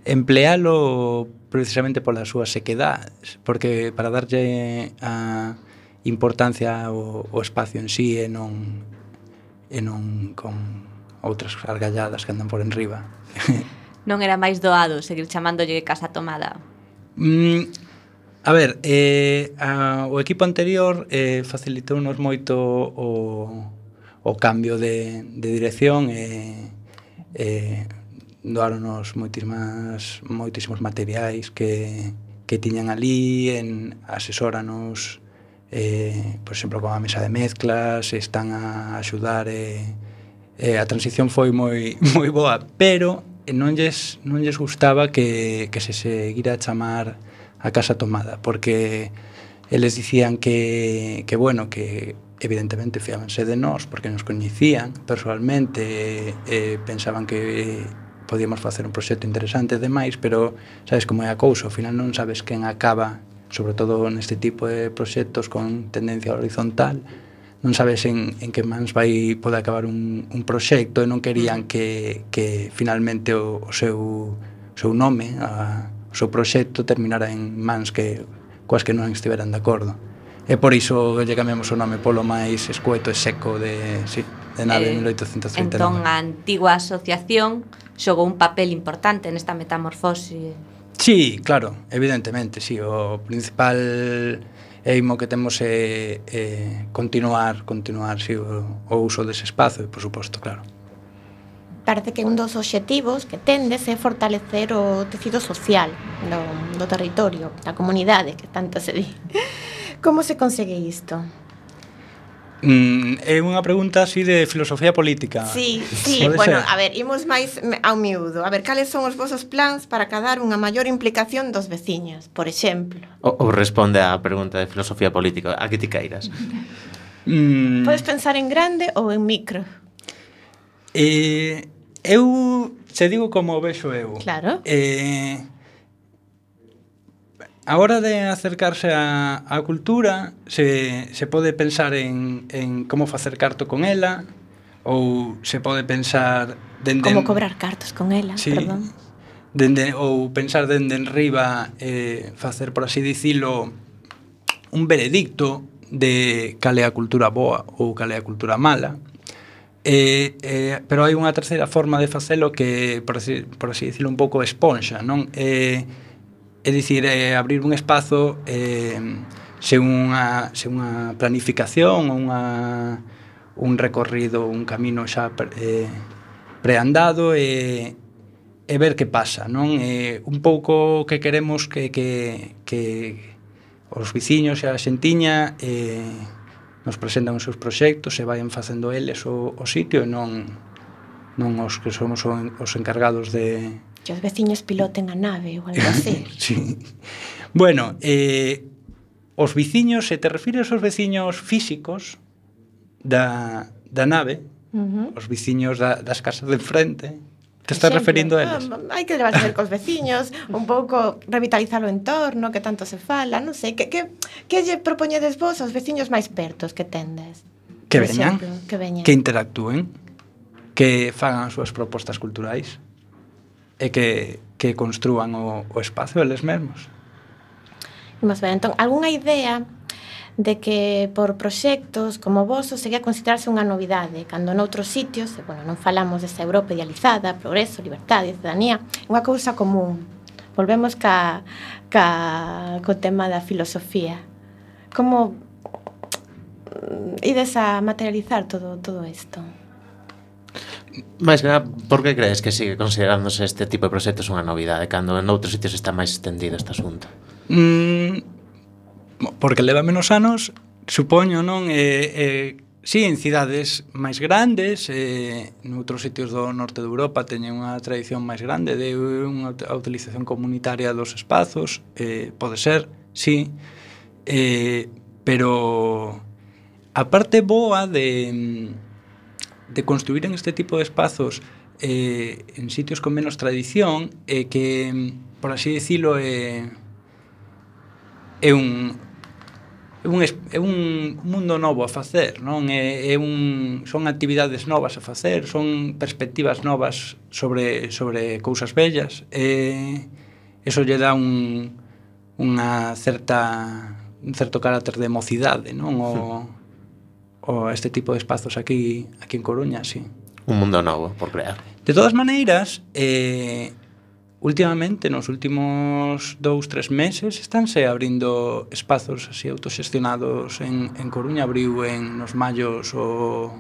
H: emplealo precisamente pola súa sequedad, porque para darlle a importancia ao, ao espacio en sí e non e non con outras argalladas que andan por enriba.
F: Non era máis doado seguir chamándolle Casa Tomada?
H: Mm, a ver, eh, a, o equipo anterior eh, facilitounos moito o, o cambio de, de dirección e eh, doaronos moitísimas, moitísimos materiais que, que tiñan ali, en, asesóranos, eh, por exemplo, con a mesa de mezclas, están a axudar, e, e a transición foi moi, moi boa, pero non lles, non lles gustaba que, que se seguira a chamar a Casa Tomada, porque eles dicían que, que bueno, que evidentemente fiábanse de nós, porque nos coñecían personalmente, e, e pensaban que podíamos facer un proxecto interesante e demais, pero sabes como é a cousa, ao final non sabes quen acaba, sobre todo neste tipo de proxectos con tendencia horizontal, non sabes en, en que mans vai pode acabar un, un proxecto, e non querían que, que finalmente o, o seu, seu nome, a, o seu proxecto terminara en mans que coas que non estiveran de acordo. E por iso lle cambiamos o nome polo máis escueto e seco de, sí, de Nave
F: Eh,
H: mil oitocentos trinta e nove.
F: Entón, a antigua asociación xogou un papel importante nesta metamorfose
H: Sí, claro, evidentemente, sí, o principal eimo que temos é, é continuar, continuar, sí, o, o uso dese espazo, por suposto, claro.
B: Parece que un dos obxectivos que tendes é fortalecer o tecido social do, do territorio, da comunidade, que tanto se di. Como se consegue isto?
H: Mm, é unha pregunta así de filosofía política.
B: Sí, sí,
H: Pode
B: bueno,
H: ser?
B: a ver, imos máis ao miúdo. A ver, cales son os vosos plans para cadar unha maior implicación dos veciños, por exemplo?
D: Ou, ou responde á pregunta de filosofía política, a que ti queiras.
H: Mm,
B: Podes pensar en grande ou en micro?
H: eh, eu se digo como o vexo eu.
B: Claro.
H: Eh, a hora de acercarse á, á cultura se, se pode pensar en, en como facer carto con ela, ou se pode pensar dende,
B: Como cobrar cartos con ela,
H: sí,
B: perdón.
H: dende, ou pensar dende en riba, eh, facer, por así dicilo, un veredicto de cal é a cultura boa ou cal é a cultura mala. Eh, eh, pero hai unha terceira forma de facelo que, por así, por así dicilo, un pouco esponxa, non? Eh, é dicir, eh, abrir un espazo eh, sen unha, sen unha planificación, unha, un recorrido, un camino xa eh, preandado e, e ver que pasa, non? Eh, un pouco que queremos que, que, que os viciños e a xentiña eh, nos presentan os seus proxectos e vayan facendo eles o, o sitio e non, non os que somos os encargados de...
B: Que os veciños piloten a nave ou algo así.
H: Sí. Bueno, eh, os viciños, se te refires aos veciños físicos da, da nave,
B: Uh-huh.
H: os viciños da, das casas de enfrente, te
B: Por
H: estás
B: exemplo,
H: referindo a eles?
B: ah, hai que levarse cos veciños, un pouco revitalizar o entorno, que tanto se fala, non sei, que, que, que lle propoñedes vos aos veciños máis pertos que tendes?
H: Que
B: Por
H: veñan,
B: exemplo, que veñan.
H: que interactúen, que fagan as súas propostas culturais e que, que construan o, o espacio eles mesmos.
B: Imos ver, entón, algunha idea de que por proxectos como vos sería considerarse unha novidade, cando noutros sitios, e, bueno, non falamos desa Europa idealizada, progreso, liberdade, ciudadanía, unha cousa común. Volvemos ca, ca, co tema da filosofía. Como ides a materializar todo, todo isto?
D: Mais que nada, por que crees que sigue considerándose este tipo de proxectos unha novidade cando en outros sitios está máis extendido este asunto?
H: Mm, porque leva menos anos, supoño, non? Eh, eh, sí, en cidades máis grandes, eh, noutros sitios do norte de Europa teñen unha tradición máis grande de unha a utilización comunitaria dos espazos, eh, pode ser, sí, eh, pero a parte boa de, de construir en este tipo de espazos eh, en sitios con menos tradición é eh, que, por así dicilo, é, é un é un, é un mundo novo a facer, non? É, é un, son actividades novas a facer, son perspectivas novas sobre, sobre cousas bellas, e eso lle dá un, unha certa un certo carácter de mocidade, non? O, o este tipo de espazos aquí aquí en Coruña, sí.
D: Un mundo novo por crear.
H: De todas maneiras, eh, últimamente, nos últimos dous, tres meses, estánse abrindo espazos así autoxestionados en, en Coruña. Abriu en nos Mallos o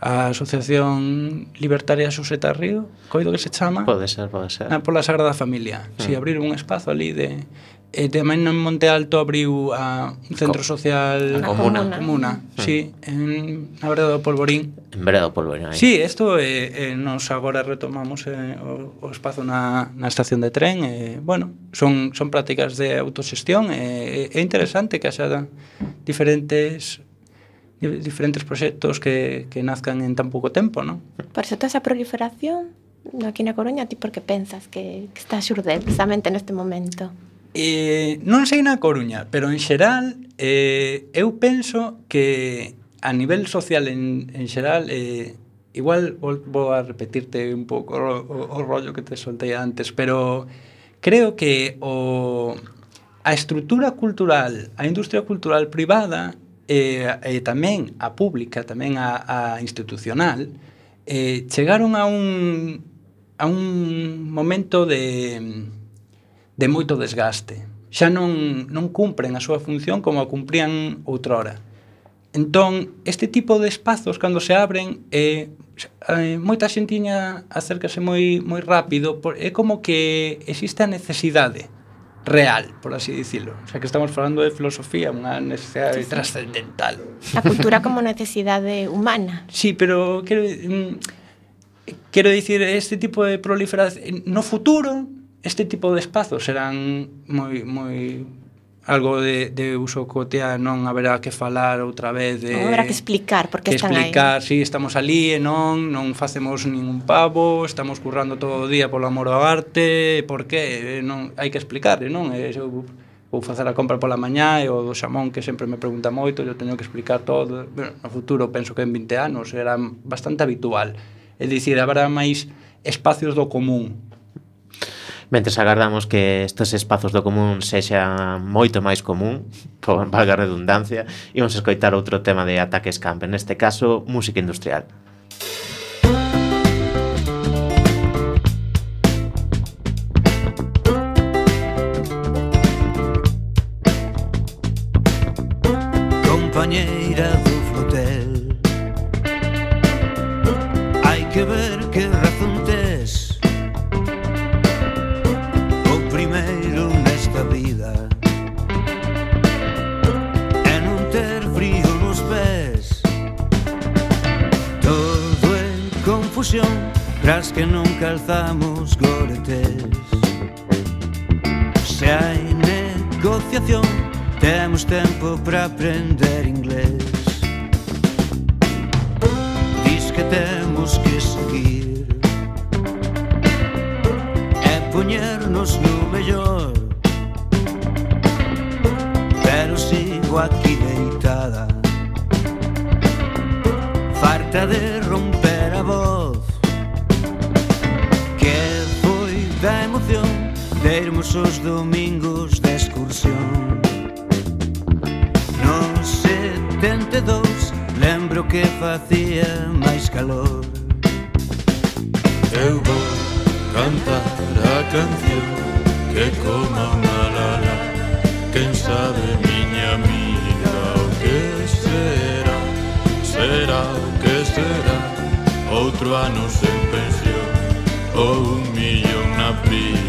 H: a Asociación Libertaria Suseta Río, coido que se chama.
D: Pode ser, pode ser.
H: Na, pola Sagrada Familia. Mm. Si, abriron un espazo ali de... E tamén en Monte Alto abriu a un centro social...
D: A Comuna.
H: Comuna, mm. Sí, en, na Vereda do Polvorín.
D: En Vereda do Polvorín, aí.
H: Sí, isto eh, eh, nos agora retomamos eh, o, o espazo na, na estación de tren. Eh, bueno, son, son prácticas de autoxestión. É eh, interesante que haxa diferentes diferentes proxectos que, que nazcan en tan pouco tempo, non?
B: Por eso toda esa proliferación aquí na Coruña, ti por que pensas que, que está a xurder precisamente neste momento?
H: Eh, non sei na Coruña, pero en xeral eh, eu penso que a nivel social en, en xeral eh, igual vou, vou a repetirte un pouco o, o, o rollo que te soltei antes, pero creo que o, a estrutura cultural, a industria cultural privada e, e tamén a pública, tamén a, a institucional eh, chegaron a un a un momento de de moito desgaste. Xa non, non cumpren a súa función como a cumprían outrora. Entón, este tipo de espazos, cando se abren, eh, eh, moita xentiña acércase moi, moi rápido, por, é como que existe a necesidade real, por así dicilo. O sea, que estamos falando de filosofía, unha necesidade sí, sí. trascendental.
B: A cultura como necesidade humana.
H: Sí, pero quero, mm, quero dicir, este tipo de proliferación, no futuro, este tipo de espazos serán moi, moi algo de, de uso cotidiano, non haberá que falar outra vez de...
B: Non haberá que explicar por que,
H: que
B: están
H: explicar,
B: aí.
H: Si estamos ali e non, non facemos ningún pavo, estamos currando todo o día polo amor ao arte, por que? Non, hai que explicar, non? E eu vou facer a compra pola mañá e o do xamón que sempre me pregunta moito, eu teño que explicar todo. Bueno, no futuro penso que en vinte anos será bastante habitual. É dicir, haberá máis espacios do común.
D: Mentres agardamos que estes espazos do común sexan moito máis común, por valga a redundancia, imos escoitar outro tema de Ataques Camp, neste caso, música industrial.
G: Compañeira do flotel, hai que ver que razón tes. Primeiro nesta vida é non ter frío nos pés. Todo é confusión tras que non calzamos goretes. Se hai negociación temos tempo para aprender inglés. Diz que temos que seguir poñernos no mellor, pero sigo aquí deitada, farta de romper a voz, que foi da emoción de irmos os domingos de excursión. No setenta e dous lembro que facía máis calor.
J: Eu vou cantar a canción que coma unha lala. Quen sabe, miña amiga, o que será? Será o que será? Outro ano sen pensión ou un millón na primitiva.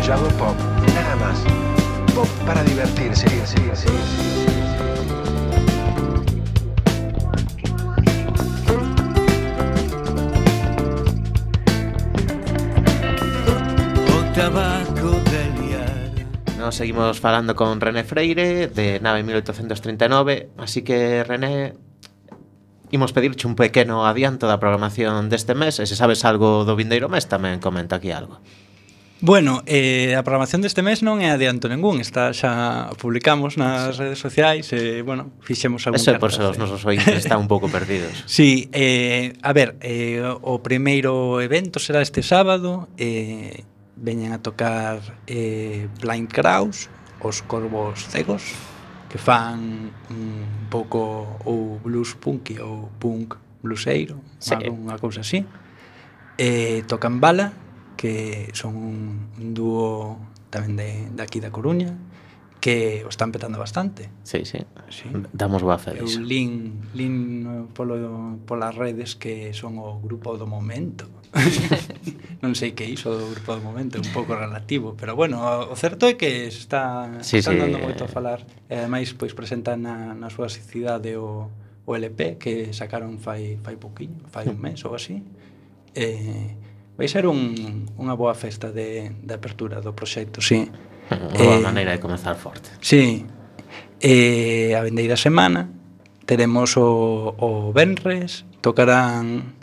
K: Hago pop, nada más. Pop para divertirse. Sí, sí, sí, sí.
G: O tabaco de liar.
D: Nos seguimos falando con René Freire de Nave mil oitocentos trinta e nove, así que René, imos pedirche un pequeno adianto da programación deste mes, e se sabes algo do vindeiro mes tamén comenta aquí algo.
H: Bueno, eh, a programación deste mes non é adianto ningún, está xa publicamos nas redes sociais e, eh, bueno, fixemos algún
D: Eso é por se os
H: cartaz,
D: nosos ointes están un pouco perdidos.
H: Sí, eh, a ver, eh, o primeiro evento será este sábado, eh, veñen a tocar eh, Blind Kraus, os Corvos Cegos, que fan un pouco ou blues punky ou punk blueseiro, sí. Unha cousa así. Eh, tocan Bala, que son un, un dúo tamén de, de aquí da Coruña, que o están petando bastante.
D: Sí, sí,
H: sí.
D: Damos boa fe disso.
H: Eu lin, lin polo, polas redes que son o grupo do momento. Non sei que iso do grupo do momento, é un pouco relativo, pero bueno, o certo é que está,
D: sí,
H: están
D: sí,
H: dando moito
D: eh...
H: a falar. E ademais, pois, presentan na, na súa cidade o, o L P que sacaron fai, fai pouquiño, fai un mes ou así. Eh, vai ser un, unha boa festa de, de apertura do proxecto, sí.
D: Unha boa eh, maneira de comenzar forte.
H: Sí. Eh, a vendeira semana teremos o, o Venres, tocarán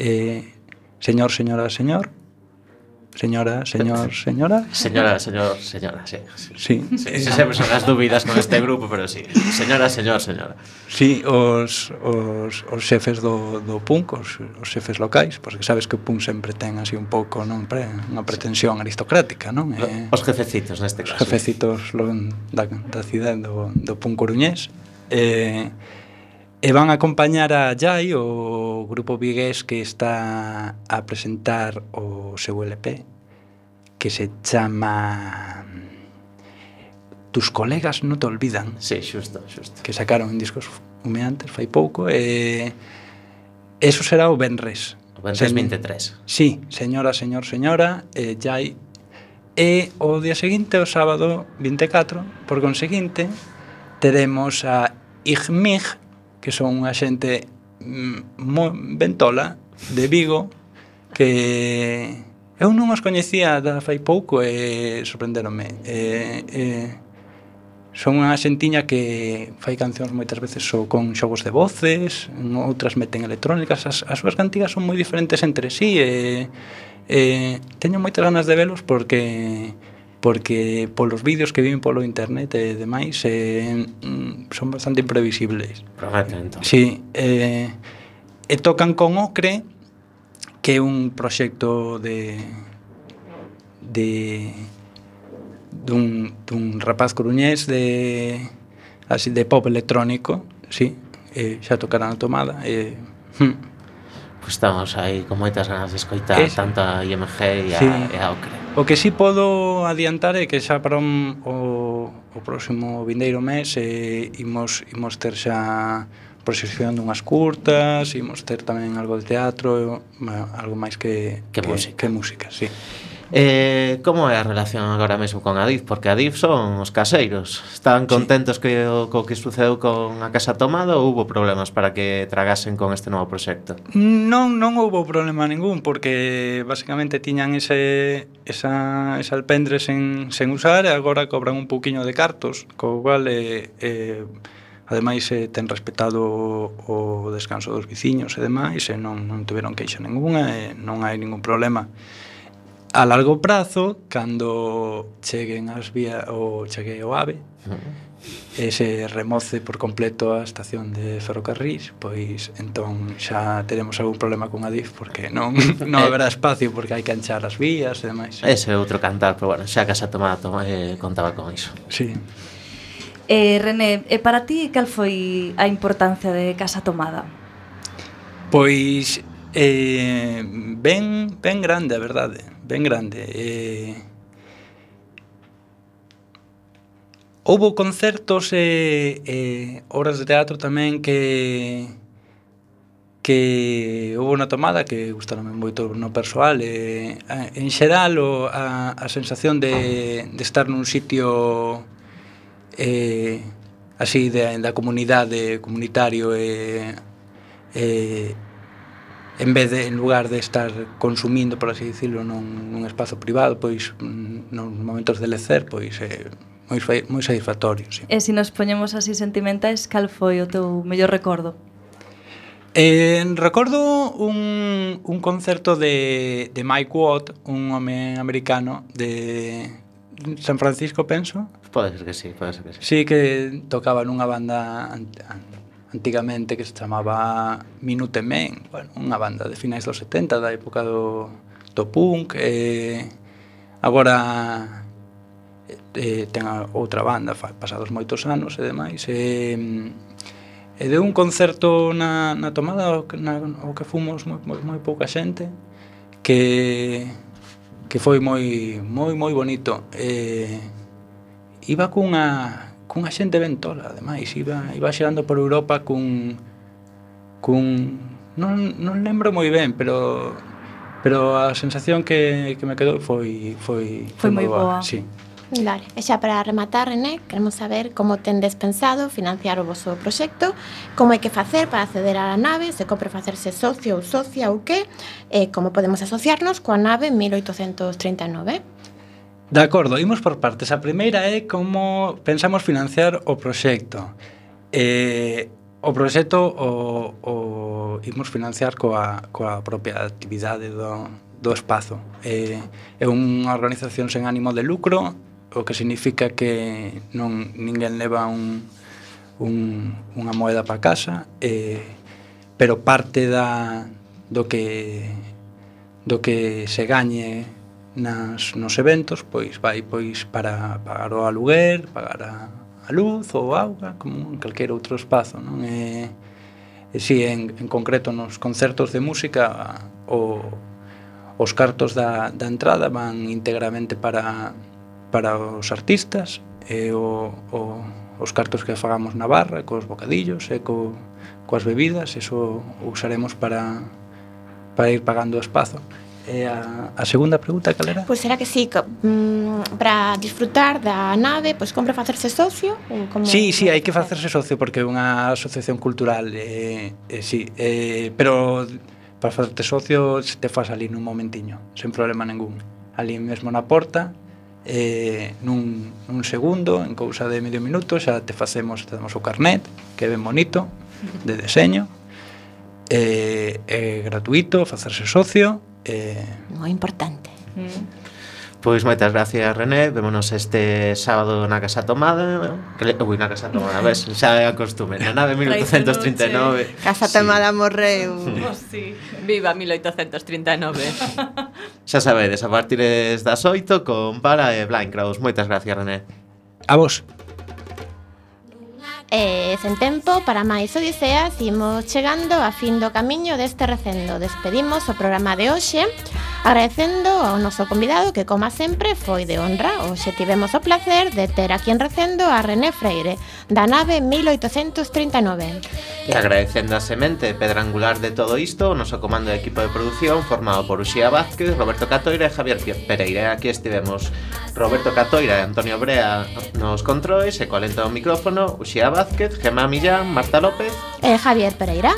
H: eh, Señor, Señora, Señor, Señora, señor, señora.
D: Señora, señor, señora, sí. Sí,
H: sí.
D: sí, sí sempre son as dúbidas con este grupo, pero sí. Señora, señor, señora.
H: Sí, os, os, os xefes do, do punk, os, os xefes locais, porque sabes que o punk sempre ten así un pouco, non, pre, unha pretensión aristocrática, non? Eh,
D: os jefecitos, neste caso.
H: Os jefecitos lo, da, da cidade do, do punk coruñés. Eh, e van a acompañar a Jai, o grupo vigués que está a presentar o seu L P, que se chama Tus colegas non te olvidan.
D: Sí, xusto, xusto.
H: Que sacaron en discos humeantes fai pouco, e eso será o venres.
D: O venres vinte e tres.
H: Sí, señora, señor, señora, e Jai. E o día seguinte, o sábado vinte e catro, por conseguinte, teremos a Igmig, que son unha xente moi ventola de Vigo, que eu non os coñecía da fai pouco e sorprenderonme. E, e, son unha xentiña que fai cancións moitas veces so, con xogos de voces, outras meten electrónicas, as, as súas cantigas son moi diferentes entre sí, e, e teño moitas ganas de velos porque porque polos vídeos que viven polo internet e demais eh, son bastante imprevisibles.
D: Prometen, entón.
H: Sí, eh, e tocan con Ocre, que é un proxecto de de dun, dun rapaz coruñés de así de pop electrónico, sí, eh, xa tocarán a tomada e hm.
D: Pois estamos aí con moitas ganas de escoitar es, tanto a I M G e a,
H: sí.
D: e a Ocre.
H: O que si sí podo adiantar é que xa para un, o, o próximo vindeiro mes eh, imos, imos ter xa proxección dunhas curtas, imos ter tamén algo de teatro, algo máis que,
D: que, que música,
H: que música, sí.
D: Eh, como é a relación agora mesmo con Adif? Porque Adif son os caseiros. Estaban contentos sí. que o co que sucedeu con a Casa Tomada ou hubo problemas para que tragasen con este novo proxecto?
H: Non, non houbo problema ningún, porque basicamente tiñan ese esa, esa alpendre sen, sen usar e agora cobran un pouquiño de cartos, co cual eh, eh, ademais eh, ten respetado o, o descanso dos veciños e demais, e non, non tiveron queixa ninguna e non hai ningún problema. A largo prazo, cando cheguen as vías o chegue o AVE, uh-huh. e se remoce por completo a estación de ferrocarrís, pois entón xa teremos algún problema con Adif, porque non, non haberá espacio, porque hai que anchar as vías e demais.
D: Ese é outro cantar, pero bueno, xa a Casa Tomada toma, eh, contaba con iso.
H: Sí.
E: Eh, René, e para ti cal foi a importancia de Casa Tomada?
H: Pois eh, ben, ben grande, a verdade, ben grande. Eh, houbo concertos e eh, obras de teatro tamén que que houbo na Tomada que gustaronme moito no persoal, e en xeral o, a, a sensación de, de estar nun sitio eh, así de, da comunidade comunitario e eh, en vez de, en lugar de estar consumindo, por así dicirlo, nun, nun espazo privado, pois nos momentos de lecer, pois é moi, moi satisfactorio, sí.
E: E se nos poñemos así sentimentais, cal foi o teu mellor recordo?
H: Eh, recordo un, un concerto de, de Mike Watt, un home americano de San Francisco, penso.
D: Pode ser que sí, pode ser que sí.
H: Sí, que tocaba nunha banda antigamente que se chamaba Minute Men, bueno, unha banda de finais dos setenta, da época do, do punk, e agora e, ten outra banda, pasados moitos anos e demais, e, e de un concerto na, na Tomada o que, na, o que fomos moi, moi, moi pouca xente, que, que foi moi, moi, moi bonito. E, iba cunha cunha xente ben tola, ademais, iba, iba xerando por Europa cun, cun non, non lembro moi ben, pero pero a sensación que, que me quedou foi foi,
E: foi, foi moi boa. boa.
H: Sí.
B: Vale, e xa para rematar, René, queremos saber como tendes pensado financiar o vosso proxecto, como hai que facer para acceder á nave, se compre facerse socio ou socia ou que, e como podemos asociarnos coa nave mil oitocentos trinta e nove.
H: De acordo, imos por partes. A primeira é como pensamos financiar o proxecto. Eh, o proxecto o, o imos financiar coa, coa propia actividade do, do espazo. Eh, é unha organización sen ánimo de lucro, o que significa que non ninguén leva un, un, unha moeda para casa, eh, pero parte da, do que do que se gañe nas, nos eventos, pois vai pois para pagar o aluguer, pagar a, a luz ou a auga, como en calquer outro espazo, non? E, e si, en, en concreto nos concertos de música, o, os cartos da, da entrada van íntegramente para, para os artistas, e o, o, os cartos que fagamos na barra, cos bocadillos e co, coas bebidas, eso usaremos para, para ir pagando o espazo. E a, a segunda pregunta, cal era?
B: Pois será que sí, que, mm, para disfrutar da nave, pois compra facerse socio? Ou como
H: Sí, sí, hai que facerse socio porque é unha asociación cultural, eh, eh, sí, eh, pero para facerte socio te fas ali nun momentiño, sen problema ningún. Ali mesmo na porta, eh, nun, nun segundo, en cousa de medio minuto, xa te facemos, te damos o carnet, que é ben bonito, de deseño, eh, é gratuito facerse socio, eh,
B: moi importante.
D: Pois moitas gracias, René. Vémonos este sábado na Casa Tomada. Que le... Ui, na Casa Tomada, ves? Xa é a costume. Na nave mil oitocentos trinta e nove.
F: Casa Tomada
D: sí.
F: morreu.
E: Oh, sí.
F: Viva mil oitocentos trinta e nove.
D: Xa sabedes, a partir das oito con Para e Blind Crowes. Moitas gracias, René.
H: A vos.
B: E sen tempo para máis odiseas, imos chegando a fin do camiño deste recendo. Despedimos o programa de hoxe agradecendo ao noso convidado que, como sempre, foi de honra. Hoxe tivemos o placer de ter aquí en recendo a René Freire, da nave mil oitocentos trinta e nove.
D: E agradecendo a semente pedra angular de todo isto, o noso comando de equipo de producción formado por Uxía Vázquez, Roberto Catoira e Javier Pereira. Aquí estivemos Roberto Catoira e Antonio Brea nos controis, e coa lenta do micrófono Uxía Vázquez, Gemma Millán, Marta López
B: e Javier Pereira.